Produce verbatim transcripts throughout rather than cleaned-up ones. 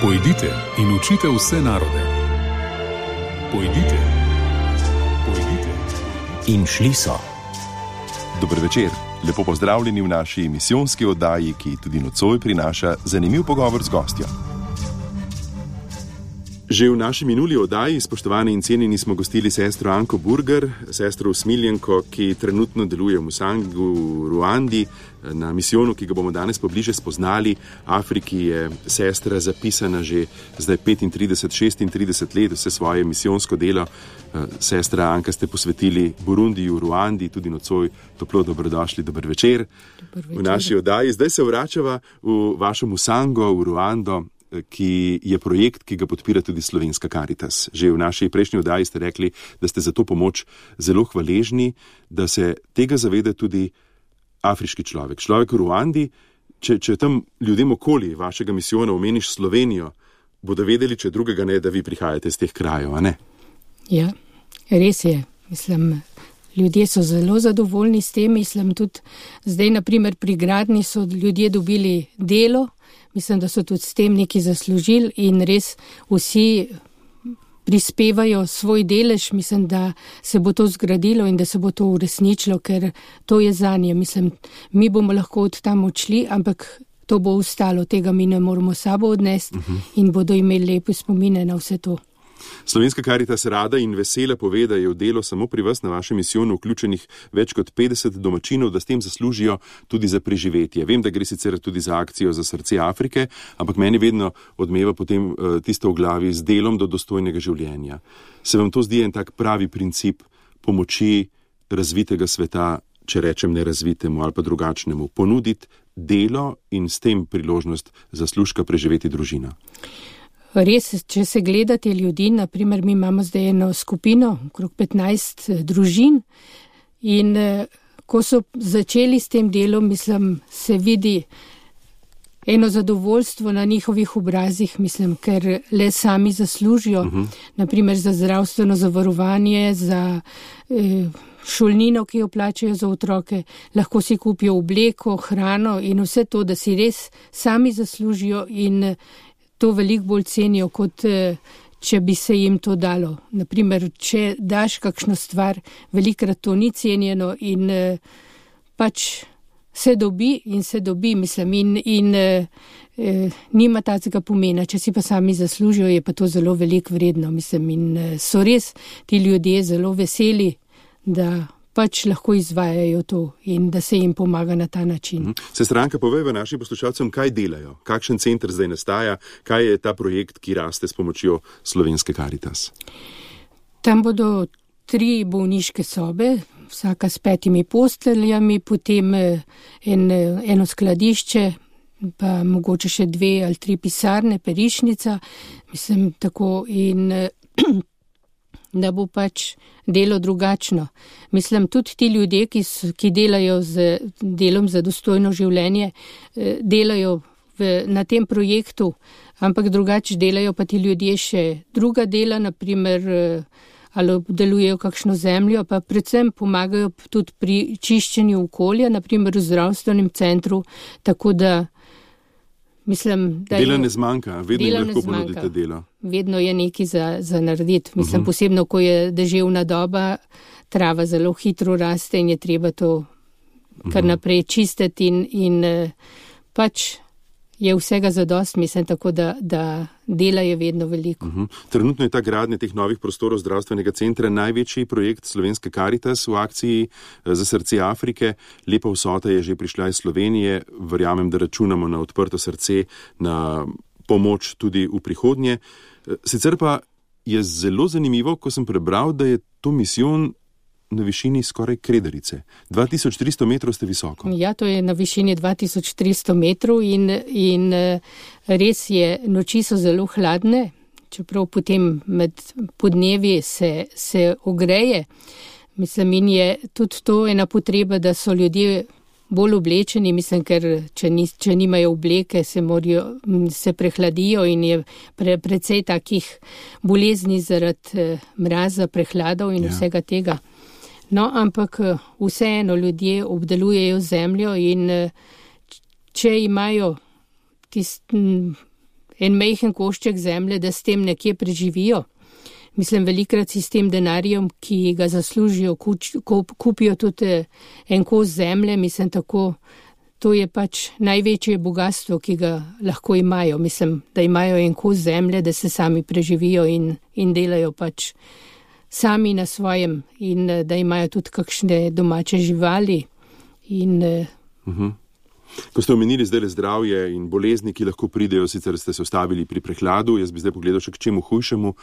Pojdite in učite vse narode. Pojdite, pojdite. In šli so. Dober večer, lepo pozdravljeni v naši misijonski oddaji, ki tudi nocoj prinaša zanimiv pogovor z gostjo. Že v naši minuli oddaji, spoštovani in cenjeni, smo gostili sestro Anko Burger, sestro usmiljenko, ki trenutno deluje v Musangu v Ruandi, na misijonu, ki ga bomo danes pobliže spoznali. Afriki je sestra zapisana že zdaj petintrideset šestintrideset let, vse svoje misijonsko delo. Sestra Anka, ste posvetili Burundiju, Ruandi, tudi nocoj toplo dobrodošli, dober večer. Dober večer. V naši oddaji zdaj se vračava v vašo Musango, v Ruando, ki je projekt, ki ga podpira tudi Slovenska Karitas. Že v naši prejšnji oddaji ste rekli, da ste za to pomoč zelo hvaležni, da se tega zaveda tudi afriški človek. Človek v Ruandi, če, če tam ljudem okoli vašega misijona omeniš Slovenijo, bodo vedeli, če drugega ne, da vi prihajate iz teh krajev, a ne? Ja, res je. Mislim, ljudje so zelo zadovoljni s tem. Mislim, tudi zdaj, naprimer, pri gradnji so ljudje dobili delo. Mislim, da so tudi s tem nekaj zaslužili in res vsi prispevajo svoj delež. Mislim, da se bo to zgradilo in da se bo to uresničilo, ker to je zanje. Mislim, mi bomo lahko od tam odšli, ampak to bo ostalo. Tega mi ne moramo sabo odnesti uh-huh. in bodo imeli lepe spomine na vse to. Slovenska Karitas rada in vesela pove, da je v delo samo pri vas na vašem misijonu vključenih več kot petdeset domačinov, da s tem zaslužijo tudi za preživetje. Vem, da gre sicer tudi za akcijo za srce Afrike, ampak meni vedno odmeva potem uh, tisto v glavi z delom do dostojnega življenja. Se vam to zdi en tak pravi princip pomoči razvitega sveta, če rečem nerazvitemu ali pa drugačnemu, ponuditi delo in s tem priložnost zaslužka preživeti družina? Res, če se gledate ljudi, naprimer mi imamo zdaj eno skupino, okrog petnajst družin in ko so začeli s tem delom, mislim, se vidi eno zadovoljstvo na njihovih obrazih, mislim, ker le sami zaslužijo, uh-huh. naprimer za zdravstveno zavarovanje, za eh, šolnino, ki jo plačajo za otroke, lahko si kupijo obleko, hrano in vse to, da si res sami zaslužijo in to veliko bolj cenijo, kot če bi se jim to dalo. Naprimer, če daš kakšno stvar, velikrat to ni cenjeno in pač se dobi in se dobi, mislim, in, in eh, nima tacega pomena. Če si pa sami zaslužijo, je pa to zelo veliko vredno, mislim, in so res ti ljudje zelo veseli, da pač lahko izvajajo to in da se jim pomaga na ta način. Sestra Anka, povej v našim poslušalcem, kaj delajo, kakšen center zdaj nastaja, kaj je ta projekt, ki raste s pomočjo Slovenske Karitas? Tam bodo tri bolniške sobe, vsaka s petimi posteljami, potem en, eno skladišče, pa mogoče še dve ali tri pisarne, perišnica, mislim tako in da bo pač delo drugačno. Mislim, tudi ti ljudje, ki, so, ki delajo z delom za dostojno življenje, delajo v, na tem projektu, ampak drugače delajo pa ti ljudje še druga dela, naprimer ali obdelujejo kakšno zemljo, pa predvsem pomagajo tudi pri čiščenju okolja, naprimer v zdravstvenem centru, tako da mislim, da dela ne zmanjka, vedno jim lahko ponudite delo. Vedno je nekaj za, za narediti. Mislim, uh-huh. posebno, ko je deževna doba, trava zelo hitro raste in je treba to kar naprej čistiti in, in pač je vsega zadost, mislim, tako da, da dela je vedno veliko. Uh-huh. Trenutno je ta gradnja teh novih prostorov zdravstvenega centra največji projekt Slovenske Karitas v akciji za srce Afrike. Lepa vsota je že prišla iz Slovenije. Verjamem, da računamo na odprto srce, na pomoč tudi v prihodnje. Sicer pa je zelo zanimivo, ko sem prebral, da je to misijon na višini skoraj Kredarice. dva tisoč tristo metrov ste visoko. Ja, to je na višini dva tisoč tristo metrov in, in res je, noči so zelo hladne, čeprav potem med podnevi se, se ogreje. Mislim, in je tudi to ena potreba, da so ljudje bolj oblečeni, mislim, ker če, ni, če nimajo obleke, se, morajo, se prehladijo in je pre, precej takih bolezni zaradi mraza, prehladov in ja. vsega tega. No, ampak vseeno ljudje obdelujejo zemljo in če imajo tist, en majhen košček zemlje, da s tem nekje preživijo. Mislim, velikrat si s tem denarjem, ki ga zaslužijo, kupijo tudi en kos zemlje, mislim tako, to je pač največje bogatstvo, ki ga lahko imajo. Mislim, da imajo en kos zemlje, da se sami preživijo in, in delajo pač sami na svojem in da imajo tudi kakšne domače živali. In, uh-huh. Ko ste omenili zdaj zdravje in bolezni, ki lahko pridejo, sicer ste se ostavili pri prehladu, jaz bi zdaj pogledal še k čemu hujšemu.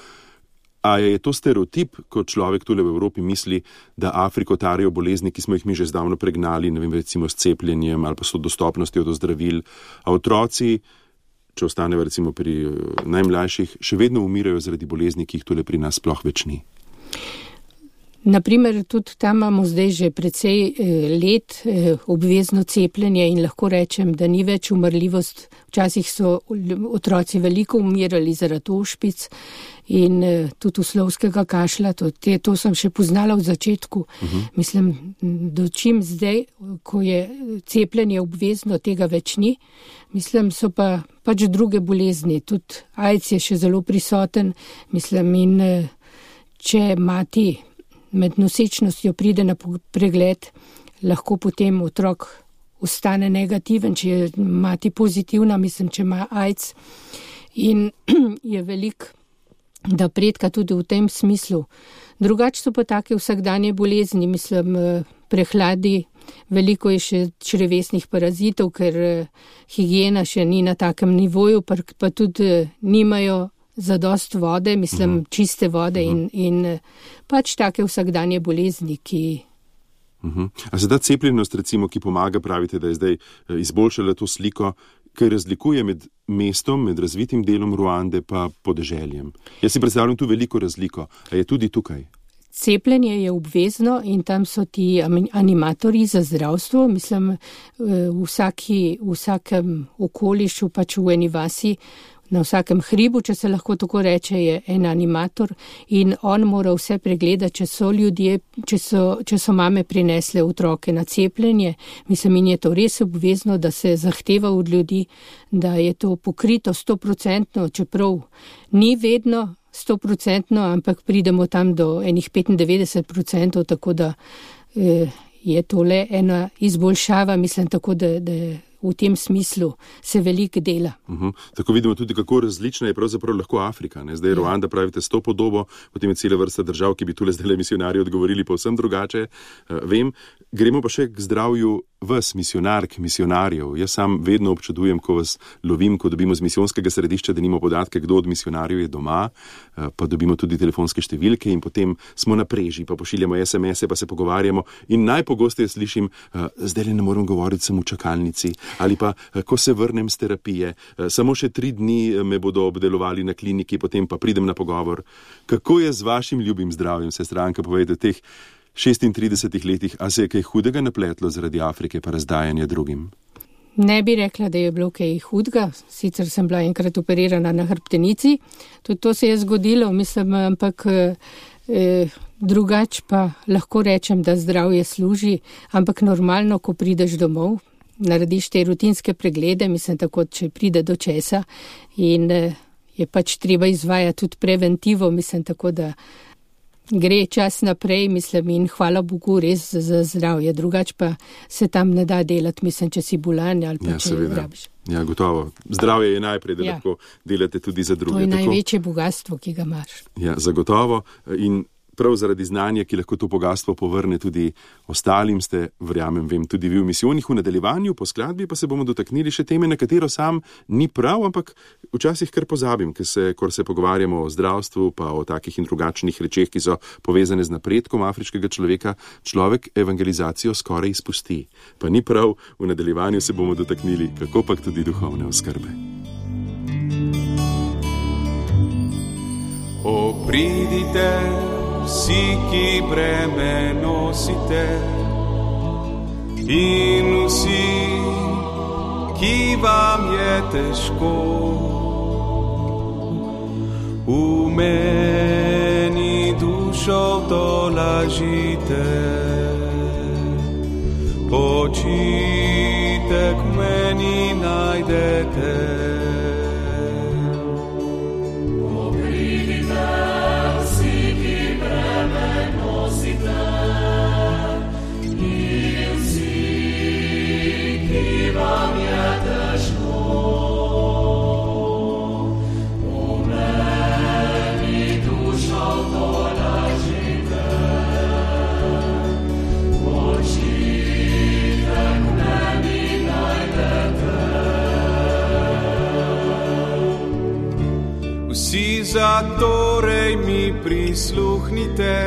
A je to stereotip, ko človek tule v Evropi misli, da Afriko tarijo bolezni, ki smo jih mi že zdavno pregnali, ne vem, recimo s cepljenjem ali pa s dostopnostjo do zdravil, a otroci, če ostaneva recimo pri najmlajših, še vedno umirajo zaradi bolezni, ki jih tule pri nas sploh več ni. Naprimer, tudi tam imamo zdaj že precej let obvezno cepljenje in lahko rečem, da ni več umrljivost. Včasih so otroci veliko umirali zaradi ošpic in tudi uslovskega kašla. To, te, to sem še poznala v začetku. Uh-huh. Mislim, dočim zdaj, ko je cepljenje obvezno, tega več ni. Mislim, so pa pač druge bolezni. Tudi AIDS je še zelo prisoten. Mislim, in če mati med nosečnostjo pride na pregled, lahko potem otrok ostane negativen, če je mati pozitivna, mislim, če ima AIDS. In je velik napredka tudi v tem smislu. Drugače so pa take vsakdanje bolezni, mislim, prehladi, veliko je še črevesnih parazitov, ker higiena še ni na takem nivoju, pa, pa tudi nimajo zadost vode, mislim, uh-huh. čiste vode uh-huh. in, in pač take vsakdanje bolezni, ki... Uh-huh. A se da cepljenost, recimo, ki pomaga, pravite, da je zdaj izboljšala to sliko, kaj razlikuje med mestom, med razvitim delom Ruande pa podeželjem? Jaz si predstavljam tu veliko razliko, a je tudi tukaj? Cepljenje je obvezno in tam so ti animatorji za zdravstvo, mislim, v, vsaki, v vsakem okolišu, pač v eni vasi, na vsakem hribu, če se lahko tako reče, je en animator in on mora vse pregledati, če so ljudje, če so, če so mame prinesle otroke na cepljenje. Mislim, in je to res obvezno, da se zahteva od ljudi, da je to pokrito stoprocentno, čeprav ni vedno stoprocentno, ampak pridemo tam do enih petindevetdeset procentov, tako da eh, je tole ena izboljšava, mislim, tako da, da v tem smislu se veliko dela. Uh-huh. Tako vidimo tudi, kako različna je pravzaprav lahko Afrika. Ne? Zdaj ja. Ruanda pravite s to podobo, potem je cela vrsta držav, ki bi tule zdaj misionarji odgovorili povsem drugače. Uh, vem, gremo pa še k zdravju vas, misionark, misionarjev. Jaz sam vedno občudujem, ko vas lovim, ko dobimo z misijonskega središča, da nimamo podatke, kdo od misionarjev je doma, uh, pa dobimo tudi telefonske številke in potem smo na preži, pa pošiljamo es em ese, pa se pogovarjamo in najpogosteje slišim, uh, zdaj ne morem govoriti, sem v čakalnici. Ali pa, ko se vrnem z terapije, samo še tri dni me bodo obdelovali na kliniki, potem pa pridem na pogovor. Kako je z vašim ljubim zdravjem, sestranka, povedete, teh šestintridesetih letih, a se je kaj hudega napletlo zaradi Afrike pa razdajanja drugim? Ne bi rekla, da je bilo kaj hudega, sicer sem bila enkrat operirana na hrbtenici, tudi to se je zgodilo, mislim, ampak eh, drugače pa lahko rečem, da zdravje služi, ampak normalno, ko prideš domov, narediš te rutinske preglede, mislim, tako, če pride do česa in eh, je pač treba izvajati tudi preventivo, mislim, tako, da gre čas naprej, mislim, in hvala Bogu res za zdravje. Drugače pa se tam ne da delati, mislim, če si bolan ali pa ja, če rabiš. Ja, gotovo. Zdravje je najprej, da ja. lahko delate tudi za druge. To je tako... največje bogatstvo, ki ga imaš. Ja, zagotovo. In prav zaradi znanja, ki lahko to bogatstvo povrne tudi ostalim, ste, verjamem, vem, tudi vi v misijonih. V nadaljevanju po skladbi pa se bomo dotaknili še teme, na katero sam ni prav, ampak včasih kar pozabim, ker se, ko se pogovarjamo o zdravstvu, pa o takih in drugačnih rečeh, ki so povezane z napredkom afriškega človeka, človek evangelizacijo skoraj izpusti. Pa ni prav, v nadaljevanju se bomo dotaknili, kako pa tudi duhovne oskrbe. O, pridite, vsi, ki breme nosite, in vsi, ki vam je težko, v meni dušo tolažite, počitek v meni najdete. zatorej mi prisluhnite,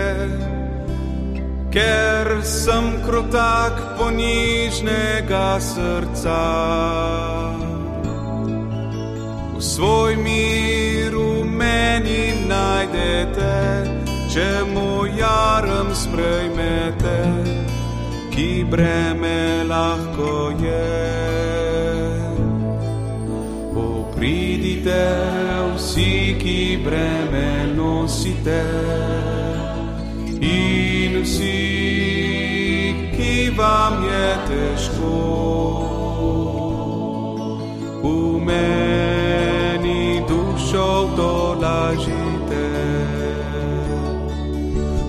ker sem krotak ponižnega srca. V svoj mir v meni najdete, če moj jarem sprejmete, ki breme lahko je. O, pridite vsi, ki breme nosite, in vsi, ki vam je težko. V meni dušo tolažite,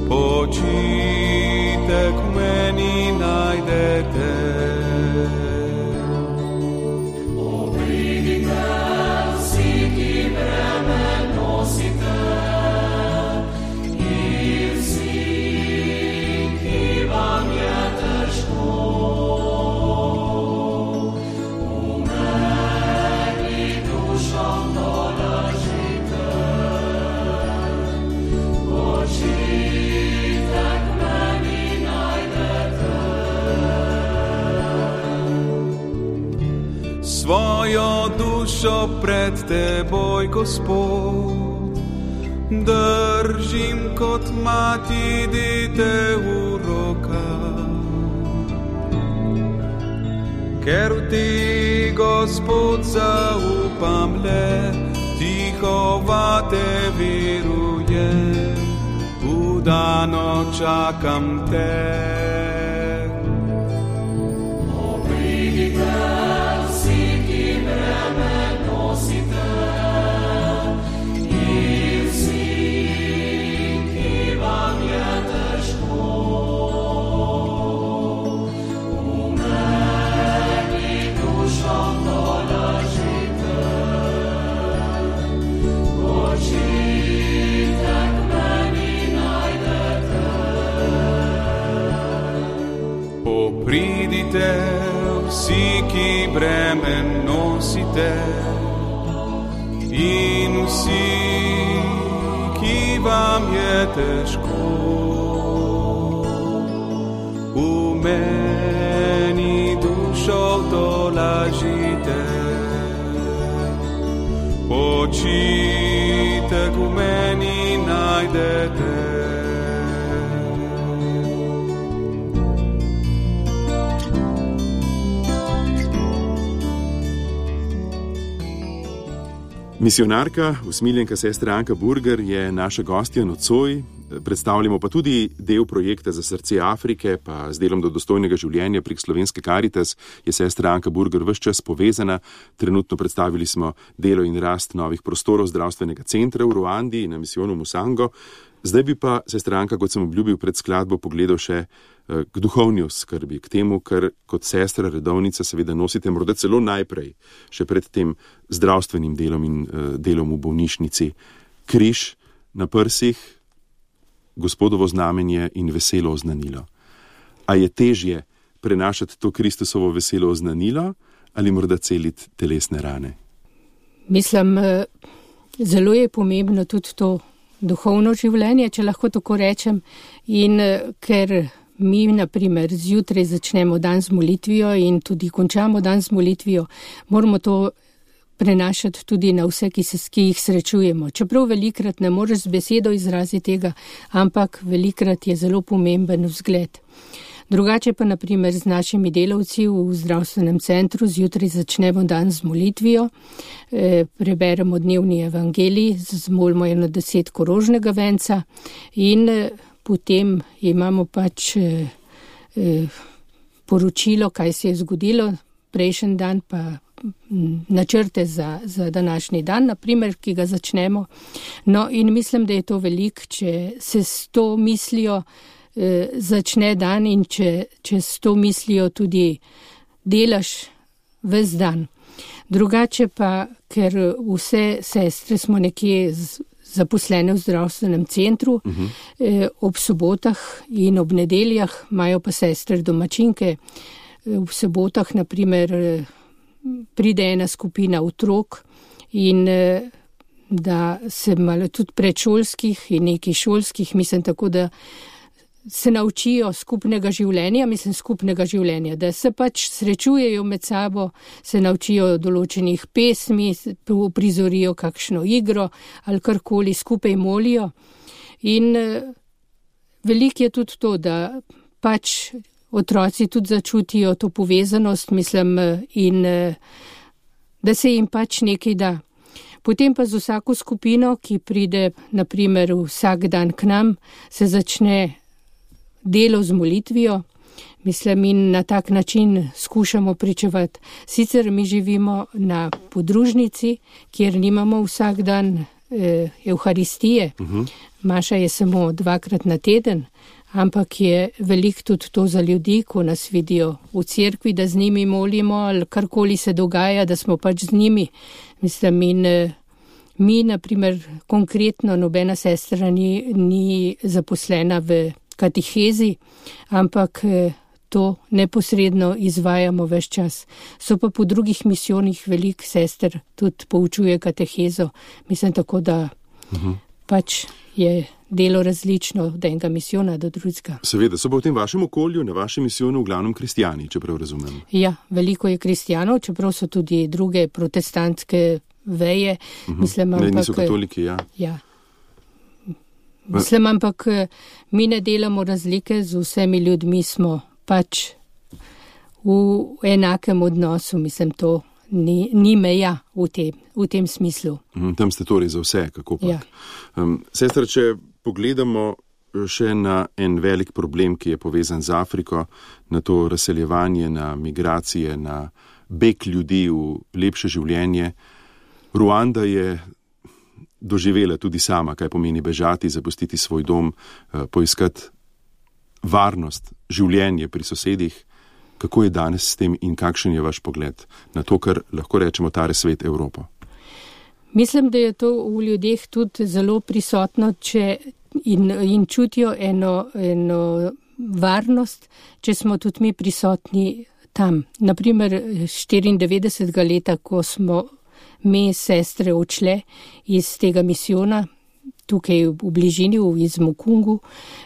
počitek v meni najdete. O, pridite vsi, ki breme nosite, in vsi, ki vam je težko. V meni dušo tolažite, počitek v meni najdete. Svojo dušo pred teboj, Gospod, držim kot mati dete v rokah. Ker v ti, Gospod, zaupam le, tiho vate verujem, vdano čakam te. O, pridite vsi, ki breme nosite, in vsi, ki vam je težko. V meni dušo tolažite, počitek v meni najdete. O, pridite vsi, ki breme nosite, in vsi, ki vam je težko. V meni dušo tolažite, počitek v meni najdete. Misionarka, usmiljenka sestra Anka Burger je naša gostja nocoj. Predstavljamo pa tudi del projekta za srce Afrike, pa z delom do dostojnega življenja prek Slovenske Karitas je sestra Anka Burger ves čas povezana. Trenutno predstavili smo delo in rast novih prostorov zdravstvenega centra v Ruandi in na misijonu Musango. Zdaj bi pa sestra Anka, kot sem obljubil pred skladbo, pogledal še k duhovni oskrbi, k temu, kar kot sestra redovnica seveda nosite morda celo najprej, še pred tem zdravstvenim delom in delom v bolnišnici. Križ na prsih, Gospodovo znamenje in veselo oznanilo. A je težje prenašati to Kristusovo veselo oznanilo ali morda celiti telesne rane? Mislim, zelo je pomembno tudi to duhovno življenje, če lahko tako rečem, in ker mi, na primer, zjutraj začnemo dan z molitvijo in tudi končamo dan z molitvijo, moramo to prenašati tudi na vse, ki, se, ki jih srečujemo. Čeprav velikrat ne moreš z besedo izraziti tega, ampak velikrat je zelo pomemben vzgled. Drugače pa, na primer, z našimi delavci v zdravstvenem centru zjutraj začnemo dan z molitvijo, e, preberemo dnevni evangelij, zmolimo eno deset korožnega venca in e, potem imamo pač e, e, poročilo, kaj se je zgodilo prejšnji dan, pa načrte za, za današnji dan, naprimer, ki ga začnemo. No, in mislim, da je to veliko, če se s to mislijo eh, začne dan in če, če s to mislijo tudi delaš ves dan. Drugače pa, ker vse sestre smo nekje z, zaposlene v zdravstvenem centru, uh-huh. eh, ob sobotah in ob nedeljah imajo pa sestre domačinke. V sobotah, naprimer, pride ena skupina otrok in da se malo tudi predšolskih in nekih šolskih, mislim tako, da se naučijo skupnega življenja, mislim skupnega življenja, da se pač srečujejo med sabo, se naučijo določenih pesmi, prizorijo kakšno igro ali karkoli, skupaj molijo. In veliko je tudi to, da pač otroci tudi začutijo to povezanost, mislim, in da se jim pač nekaj da. Potem pa z vsako skupino, ki pride, naprimer, vsak dan k nam, se začne delo z molitvijo, mislim, in na tak način skušamo pričevati. Sicer mi živimo na podružnici, kjer nimamo vsak dan eh, Evharistije. Uh-huh. Maša je samo dvakrat na teden, ampak je veliko tudi to za ljudi, ko nas vidijo v cerkvi, da z njimi molimo ali karkoli se dogaja, da smo pač z njimi. Mislim, in eh, mi, naprimer, konkretno nobena sestra ni, ni zaposlena v katehezi, ampak to neposredno izvajamo ves čas. So pa po drugih misijonih veliko sester tudi poučuje katehezo. Mislim tako, da uh-huh. pač je delo različno od enega misijona do drugega. Seveda, so pa v tem vašem okolju, na vašem misijonu v glavnem kristijani, čeprav razumem. Ja, veliko je kristijanov, čeprav so tudi druge protestantske veje. Uh-huh. Mislim, ne, niso katoliki, ja. Ja. Mislim, ampak mi ne delamo razlike, z vsemi ljudmi smo pač v enakem odnosu, mislim, to ni, ni meja v tem, v tem smislu. Mm, tam ste torej za vse, kako pa. Ja. Um, sestra, če pogledamo še na en velik problem, ki je povezan z Afriko, na to razseljevanje, na migracije, na beg ljudi v lepše življenje. Ruanda je doživela tudi sama, kaj pomeni bežati, zapustiti svoj dom, poiskati varnost, življenje pri sosedih. Kako je danes s tem in kakšen je vaš pogled na to, kar lahko rečemo tare svet Evropo? Mislim, da je to v ljudeh tudi zelo prisotno, če in, in čutijo eno, eno varnost, če smo tudi mi prisotni tam. Naprimer, štiriindevetdesetega leta, ko smo mi sestre odšle iz tega misijona, tukaj v bližini, iz Mukungu,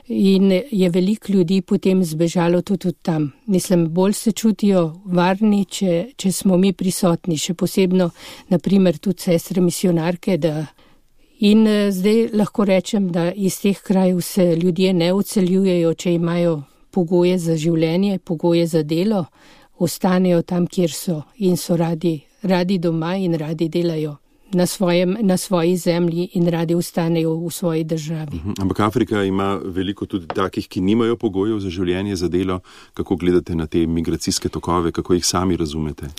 in je veliko ljudi potem zbežalo tudi tam. Mislim, bolj se čutijo varni, če, če smo mi prisotni, še posebno, naprimer, tudi sestre misionarke, da in zdaj lahko rečem, da iz teh krajev se ljudje ne odseljujejo, če imajo pogoje za življenje, pogoje za delo, ostanejo tam, kjer so in so radi radi doma in radi delajo na, svojem, na svoji zemlji in radi ostanejo v svoji državi. Uh-huh. Ampak Afrika ima veliko tudi takih, ki nimajo pogojev za življenje, za delo. Kako gledate na te migracijske tokove, kako jih sami razumete?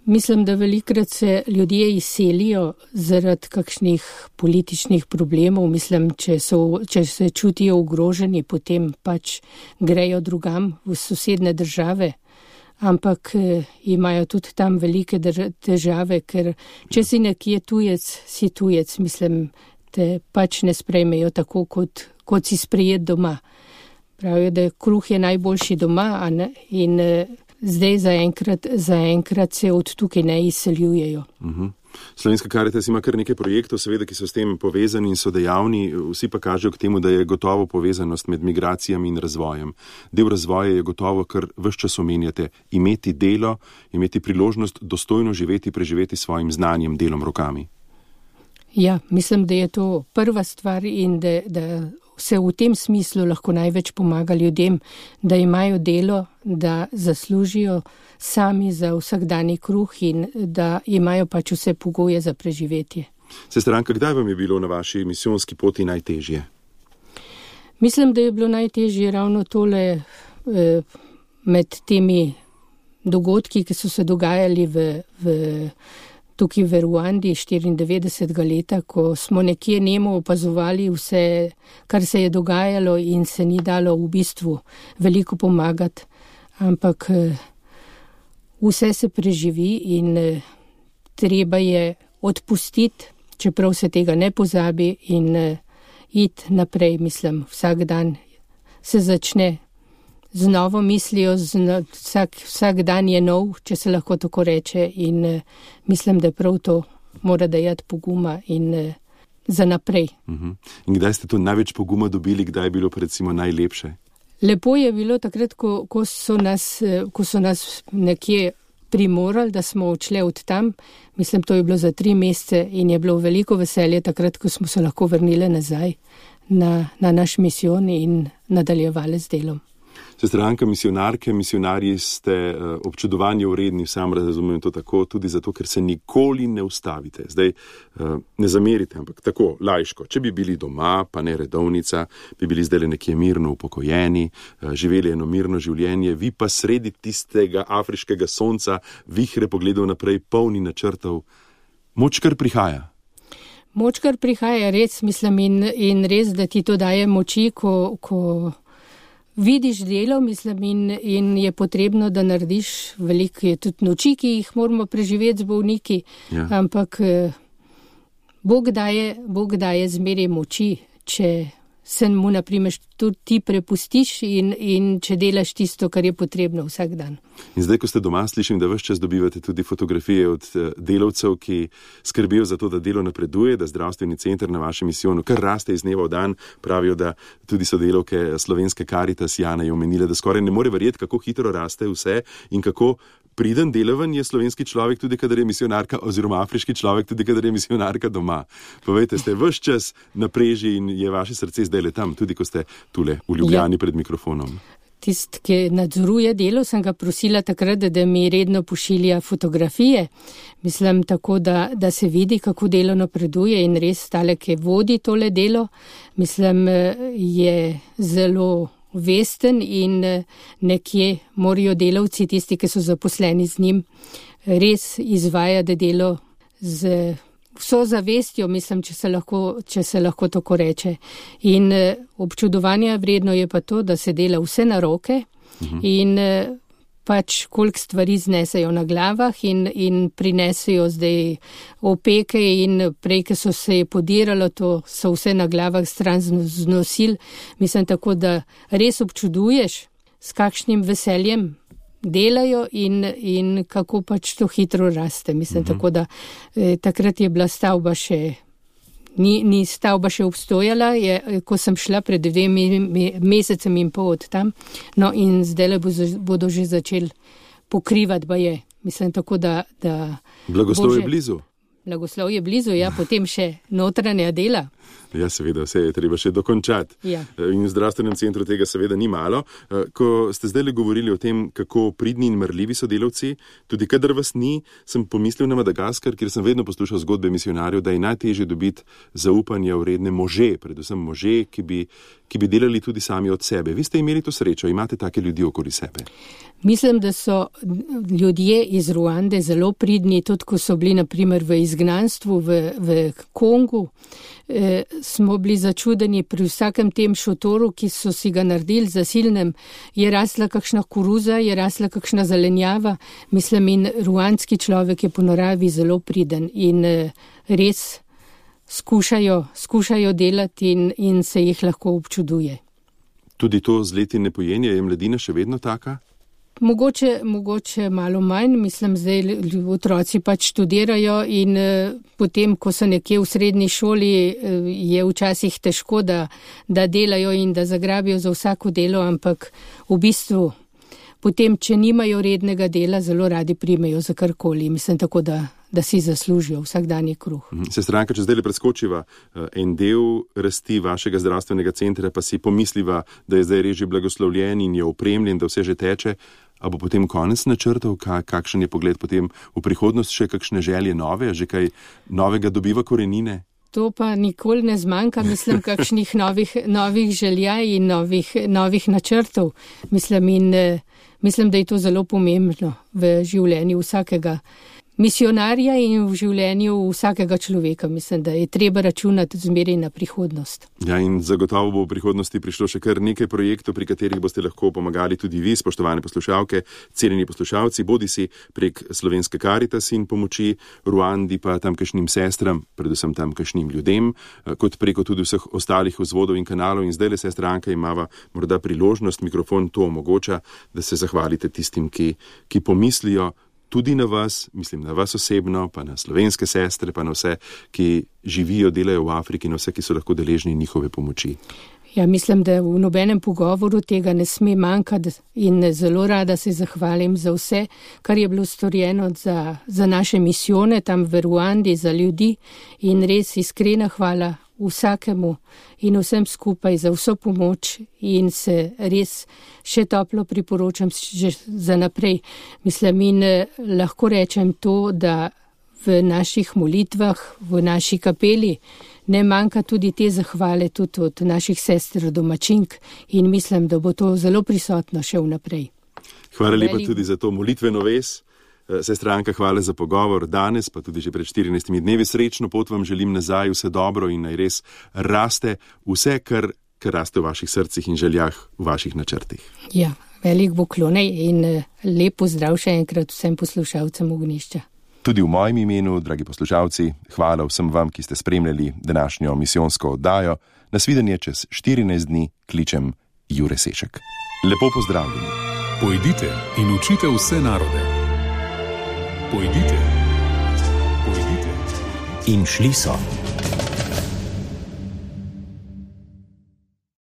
Mislim, da velikrat se ljudje izselijo zaradi kakšnih političnih problemov. Mislim, če, so, če se čutijo ogroženi, potem pač grejo drugam v sosedne države. Ampak eh, imajo tudi tam velike drž- težave, ker če si nekje tujec, si tujec, mislim, te pač ne sprejmejo tako, kot, kot si sprejet doma. Pravijo, da kruh je najboljši doma, a ne? In eh, zdaj zaenkrat, zaenkrat se od tukaj ne izseljujejo. Uh-huh. Slovenska Karitas ima kar nekaj projektov, seveda, ki so s tem povezani in so dejavni, vsi pa kažejo k temu, da je gotovo povezanost med migracijami in razvojem. Del razvoja je gotovo, kar ves čas omenjate, imeti delo, imeti priložnost dostojno živeti, preživeti svojim znanjem, delom, rokami. Ja, mislim, da je to prva stvar in da, da se v tem smislu lahko največ pomaga ljudem, da imajo delo, da zaslužijo sami za vsakdanji kruh in da imajo pač vse pogoje za preživetje. Sestranka, kdaj vam je bilo na vaši misijonski poti najtežje? Mislim, da je bilo najtežje ravno tole eh, med temi dogodki, ki so se dogajali v, v tukaj v Ruandi štiriindevetdesetega leta, ko smo nekje nemo opazovali vse, kar se je dogajalo in se ni dalo v bistvu veliko pomagati, ampak vse se preživi in treba je odpustiti, čeprav se tega ne pozabi in iti naprej, mislim, vsak dan se začne z novo mislijo, z, vsak, vsak dan je nov, če se lahko tako reče in mislim, da prav to mora dajati poguma in uh, za naprej. Uh-huh. In kdaj ste to največ poguma dobili, kdaj je bilo recimo najlepše? Lepo je bilo takrat, ko, ko, so, nas, ko so nas nekje primorali, da smo odšli od tam. Mislim, to je bilo za tri mesece in je bilo veliko veselje takrat, ko smo se lahko vrnili nazaj na, na naš misijon in nadaljevali z delom. Sestranka, misionarke, misionarji ste uh, občudovanje vredni, sam razumem to tako, tudi zato, ker se nikoli ne ustavite. Zdaj uh, ne zamerite, ampak tako, laiško. Če bi bili doma, pa ne redovnica, bi bili zdaj nekje mirno upokojeni, uh, živeli eno mirno življenje, vi pa sredi tistega afriškega sonca, vihre pogledov naprej, polni načrtov. Moč kar prihaja. Moč kar prihaja, res mislim in, in res, da ti to daje moči, ko... ko vidiš delo, mislim, in, in je potrebno, da narediš veliko, je tudi noči, ki jih moramo preživeti z bolniki, ja. Ampak Bog daje, Bog daje zmeraj moči, če se mu, naprimer, tudi ti prepustiš in, in če delaš tisto, kar je potrebno vsak dan. In zdaj, ko ste doma, slišim, da ves čas dobivate tudi fotografije od delavcev, ki skrbijo za to, da delo napreduje, da zdravstveni center na vašem misijonu kar raste iz dneva v dan. Pravijo, da tudi sodelavke Slovenske Karitas, Jana je omenila, da skoraj ne more verjeti, kako hitro raste vse in kako priden delaven je slovenski človek, tudi kadar je misionarka, oziroma afriški človek, tudi kadar je misionarka doma. Povejte, ste ves čas na preži in je vaše srce zdaj le tam, tudi ko ste tule v Ljubljani ja. Pred mikrofonom. Tist, ki nadzoruje delo, sem ga prosila takrat, da mi redno pošilja fotografije. Mislim tako, da, da se vidi, kako delo napreduje in res tale, ki vodi tole delo, mislim, je zelo vesten in nekje morajo delavci, tisti, ki so zaposleni z njim, res izvajati delo z vso zavestjo, mislim, če se lahko, če se lahko tako reče. In občudovanja vredno je pa to, da se dela vse na roke uh-huh. in pač koliko stvari znesejo na glavah in, in prinesejo zdaj opeke in prej, ki so se podiralo, to so vse na glavah stran znosil. Mislim tako, da res občuduješ, s kakšnim veseljem delajo in, in kako pač to hitro raste. Mislim uh-huh. tako, da eh, takrat je bila stavba še Ni, ni stavba še obstojala, je, ko sem šla pred dvemi mesecem in pol od tam. No in zdaj bodo že začeli pokrivati baje. Mislim tako, da... da Blagoslov je blizu. Blagoslov je blizu, ja, potem še notranja dela. Ja, seveda, vse je treba še dokončati. Ja. In v zdravstvenem centru tega seveda ni malo. Ko ste zdaj le govorili o tem, kako pridni in marljivi so delavci, tudi kadar vas ni, sem pomislil na Madagaskar, kjer sem vedno poslušal zgodbe misionarjev, da je najtežje dobiti zaupanje vredne može, predvsem može, ki bi, ki bi delali tudi sami od sebe. Vi ste imeli to srečo, imate take ljudi okoli sebe? Mislim, da so ljudje iz Ruande zelo pridni, tudi ko so bili naprimer v izgnanstvu v, v Kongu, eh, smo bili začudeni pri vsakem tem šotoru, ki so si ga naredili zasilnem, je rasla kakšna koruza, je rasla kakšna zelenjava. Mislim, in ruandski človek je po naravi zelo priden in eh, res skušajo, skušajo delati in, in se jih lahko občuduje. Tudi to z leti ne pojenje, je mladina še vedno taka? Mogoče, mogoče malo manj, mislim, zdaj otroci pač študirajo in eh, potem, ko so nekje v srednji šoli, eh, je včasih težko, da, da delajo in da zagrabijo za vsako delo, ampak v bistvu potem, če nimajo rednega dela, zelo radi primejo za karkoli. Mislim tako, da, da si zaslužijo vsakdanji kruh. Sestranka, če zdaj le preskočiva en del rasti vašega zdravstvenega centra, pa si pomisliva, da je zdaj res že blagoslovljen in je opremljen, da vse že teče, a bo potem konec načrtov, kakšen je pogled potem v prihodnost, še kakšne želje nove, že kaj novega dobiva korenine? To pa nikoli ne zmanjka, mislim, kakšnih novih, novih želja in novih, novih načrtov. Mislim, in, mislim, da je to zelo pomembno v življenju vsakega misionarja in v življenju vsakega človeka. Mislim, da je treba računati zmeraj na prihodnost. Ja, in zagotovo bo v prihodnosti prišlo še kar nekaj projektov, pri katerih boste lahko pomagali tudi vi, spoštovane poslušalke, cenjeni poslušalci, bodisi prek Slovenske Karitas in pomoči Ruandi, pa tamkajšnjim sestram, predvsem tamkajšnjim ljudem, kot preko tudi vseh ostalih vzvodov in kanalov. In zdaj le sestranka imava morda priložnost, mikrofon to omogoča, da se zahvalite tistim, ki, ki pomislijo, tudi na vas, mislim na vas osebno, pa na slovenske sestre, pa na vse, ki živijo, delajo v Afriki, na vse, ki so lahko deležni njihove pomoči. Ja, mislim, da v nobenem pogovoru tega ne sme manjkati in zelo rada se zahvalim za vse, kar je bilo storjeno za, za naše misijone tam v Ruandi, za ljudi in res iskrena hvala vsakemu in vsem skupaj za vso pomoč in se res še toplo priporočam že za naprej. Mislim in lahko rečem to, da v naših molitvah, v naši kapeli ne manjka tudi te zahvale tudi od naših sester domačink in mislim, da bo to zelo prisotno še vnaprej. Hvala lepa tudi za to molitveno vez. Sestra Anka, hvala za pogovor danes, pa tudi že pred štirinajstimi dnevi. Srečno pot vam želim nazaj, vse dobro in naj res raste vse, kar, kar raste v vaših srcih in željah, v vaših načrtih. Ja, velik poklonej in lep pozdrav še enkrat vsem poslušalcem Ognjišča. Tudi v mojem imenu, dragi poslušalci, hvala vsem vam, ki ste spremljali današnjo misijonsko oddajo. Nasvidenje čez štirinajst dni, kličem Jure Sešek. Lepo pozdravljeni. Pojdite in učite vse narode. Pojdite. Pojdite. In šli so.